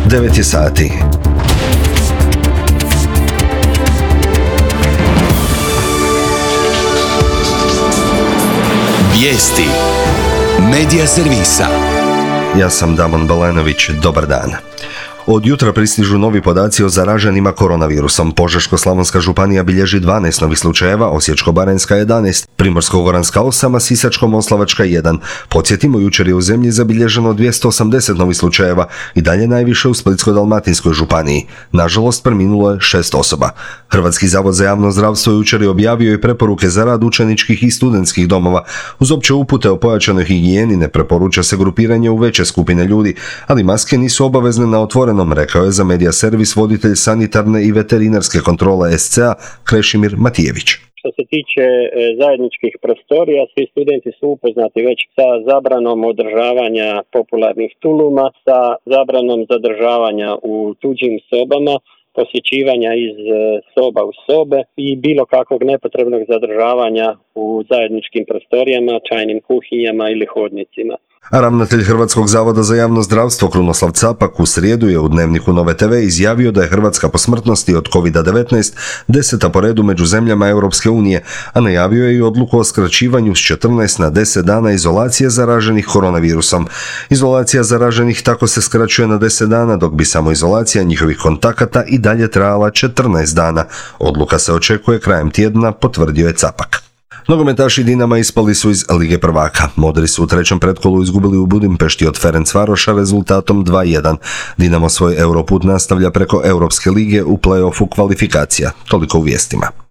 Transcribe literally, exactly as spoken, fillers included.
devet je sati. Vijesti Medija servisa. Ja sam Damon Balenović, dobar dan. Od jutra pristižu novi podaci o zaraženima koronavirusom. Požeško-slavonska županija bilježi dvanaest novih slučajeva, Osječko-baranjska jedanaest, Primorsko-goranska osam, a Sisačko-moslavačka jedan. Podsjetimo, jučer je u zemlji zabilježeno dvjesto osamdeset novih slučajeva i dalje najviše u Splitsko-dalmatinskoj županiji. Nažalost, preminulo je šest osoba. Hrvatski zavod za javno zdravstvo jučer je objavio i preporuke za rad učeničkih i studentskih domova. Uz opće upute o pojačanoj higijeni ne preporuča se grupiranje u veće skupine ljudi, ali maske nisu obavezne na otvorenom, rekao je za Medija servis voditelj sanitarne i veterinarske kontrole S C A Krešimir Matijević. Što se tiče zajedničkih prostorija, svi studenti su upoznati već sa zabranom održavanja popularnih tuluma, sa zabranom zadržavanja u tuđim sobama, posjećivanja iz soba u sobe i bilo kakvog nepotrebnog zadržavanja u zajedničkim prostorijama, čajnim kuhinjama ili hodnicima. A ravnatelj Hrvatskog zavoda za javno zdravstvo Krunoslav Capak u srijedu je u Dnevniku Nove te ve izjavio da je Hrvatska po smrtnosti od kovid devetnaest deseta po redu među zemljama Europske unije, a najavio je i odluku o skraćivanju s četrnaest na deset dana izolacije zaraženih koronavirusom. Izolacija zaraženih tako se skraćuje na deset dana, dok bi samoizolacija njihovih kontakata i dalje trajala četrnaest dana. Odluka se očekuje krajem tjedna, potvrdio je Capak. Nogometaši Dinama ispali su iz Lige prvaka. Modri su u trećem pretkolu izgubili u Budimpešti od Ferencvaroša rezultatom dva jedan. Dinamo svoj Europut nastavlja preko Europske lige u play-offu kvalifikacija. Toliko u vijestima.